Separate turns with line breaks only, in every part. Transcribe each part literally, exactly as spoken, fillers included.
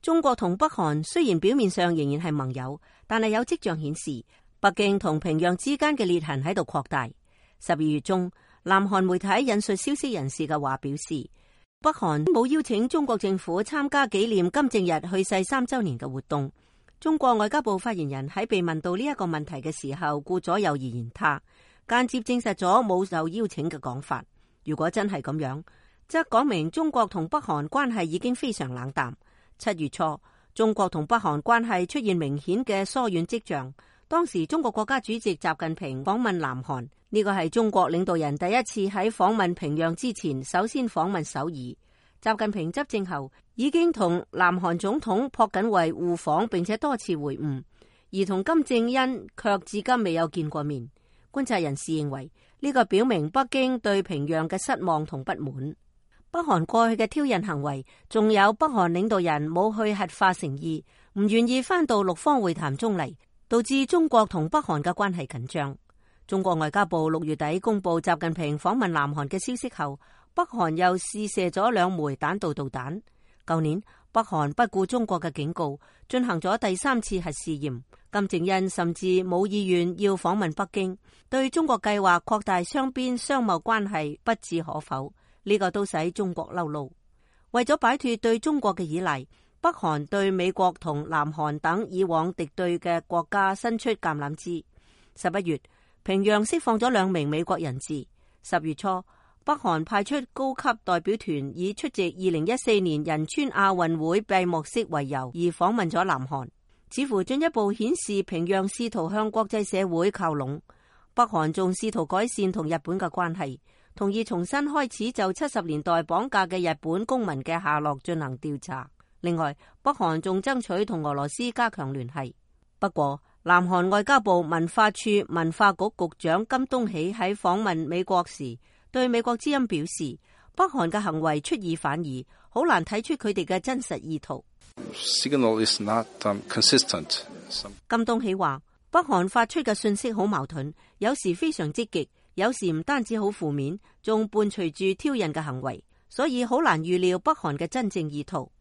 中國同北韓雖然表面上仍然係盟友，但係有跡象顯示北京同平壤之間嘅裂痕喺度擴大。十二月中，南韓媒體引述消息人士嘅話表示，北韓冇邀請中國政府參加紀念金正日去世三週年嘅活動。中國外交部發言人喺被問到呢一個問題嘅時候，顧左右而言他，間接證實咗冇受邀請嘅講法。如果真係咁樣，則講明中國同北韓關係已經非常冷淡。七月初，中國同北韓關係出現明顯嘅疏遠跡象。當時中國國家主席習近平訪問南韓，呢個係中國領導人第一次喺訪問平壤之前首先訪問首爾。習近平執政後已經同南韓總統朴槿惠互訪，並且多次會晤，而同金正恩卻至今未有見過面。觀察人士認為，呢個表明北京對平壤嘅失望同不滿。北韓過去嘅挑釁行為，仲有北韓領導人冇去核化誠意，唔願意返到六方會談中嚟，導致中國同北韓嘅關係緊張。中國外交部六月底公布習近平訪問南韓嘅消息後，北韓又試射咗兩枚彈道導彈。舊年北韓不顧中國嘅警告，進行咗第三次核試驗。金正恩甚至冇意願要訪問北京，對中國計劃擴大雙邊商貿關係不置可否。呢、這個都使中國嬲怒。為咗擺脫對中國嘅依賴，北韓對美國同南韓等以往敵對嘅國家伸出橄欖枝。十一月，平壤釋放咗兩名美國人質。十月初，北韓派出高級代表團，以出席二零一四年仁川亞運會閉幕式為由而訪問咗南韓，似乎進一步顯示平壤試圖向國際社會靠攏。北韓仲試圖改善同日本嘅關係，同意重新開始就七十年代綁架嘅日本公民嘅下落進行調查。另外，北韓仲爭取同俄羅斯加強聯繫。不過，南韓外交部文化處文化局局長金東喜喺訪問美國時，對美國之音表示，北韓嘅行為出爾反爾，好難睇出佢哋嘅真實意圖。
Signal is not, um, consistent.
金東喜話，北韓發出嘅信息好矛盾，有時非常積極，有時唔單止好負面，仲伴隨住挑釁嘅行為，所以好難預料北韓嘅真正意圖。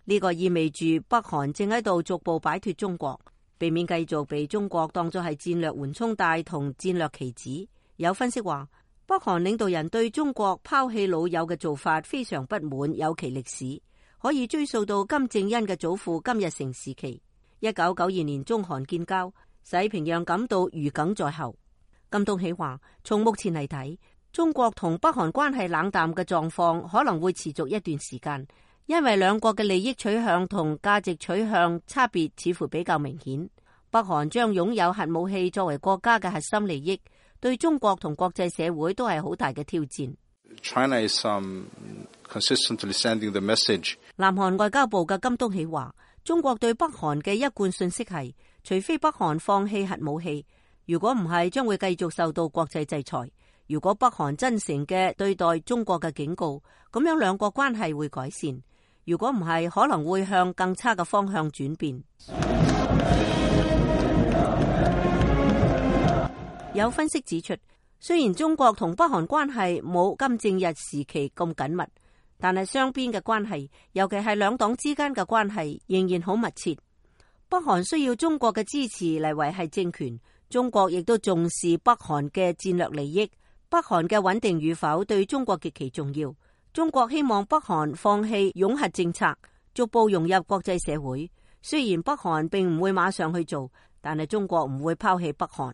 呢個意味住北韓正喺度逐步擺脫中國，避免繼續被中國當作係戰略緩衝帶同戰略棋子。有分析話，北韓領導人對中國拋棄老友嘅做法非常不滿，有其歷史，可以追溯到金正恩嘅祖父金日成時期。一九九二年中韓建交，使平壤感到如鯁在喉。金東喜話，從目前嚟睇，中國同北韓關係冷淡嘅狀況可能會持續一段時間，因為兩國嘅利益取向同價值取向差別似乎比較明顯。北韓將擁有核武器作為國家嘅核心利益，對中國同國際社會都係好大嘅挑戰。
China is, um, consistently sending the message.
南韓外交部嘅金東喜話，中國對北韓嘅一貫信息係，除非北韓放棄核武器，如果唔係，將會繼續受到國際制裁。如果北韓真誠嘅對待中國嘅警告，咁樣兩國關係會改善。如果唔係，可能會向更差嘅方向轉變。有分析指出，雖然中國同北韓關係冇金正日時期咁緊密，但係雙邊嘅關係，尤其係兩黨之間嘅關係，仍然好密切。北韓需要中國嘅支持嚟維繫政權，中國亦都重視北韓嘅戰略利益。北韓嘅穩定與否對中國極其重要。中國希望北韓放棄擁核政策，逐步融入國際社會。雖然北韓並唔會馬上去做，但係中國唔會拋棄北韓。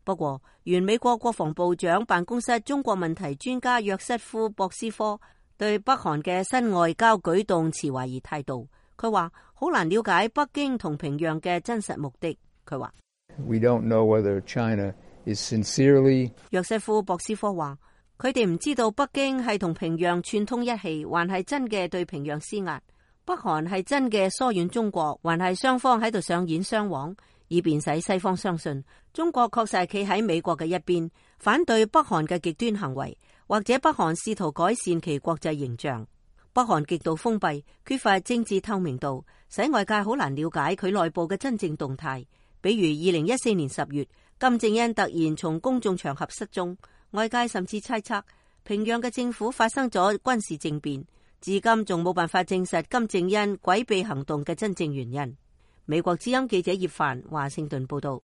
不過，原美國國防部長辦公室中國問題專家約瑟夫博斯科對北韓嘅新外交舉動持懷疑態度。佢話好難了解北京同平壤嘅真實目的。佢話
We don't know whether China is sincerely.
約瑟夫博斯科話佢哋唔知道北京係同平壤串通一氣，還係真嘅對平壤施壓。北韓係真嘅疏遠中國，還係雙方喺度上演雙簧，以便使西方相信中國確實係企喺美國嘅一邊，反對北韓嘅極端行為，或者北韓試圖改善其國際形象。北韓極度封閉，缺乏政治透明度，使外界好難了解佢內部嘅真正動態。比如二零一四年十月，金正恩突然從公眾場合失蹤，外界甚至猜測平壤嘅政府發生咗軍事政變。至今仲冇辦法證實金正恩詭秘行動嘅真正原因。美國之音記者葉凡華盛頓報道。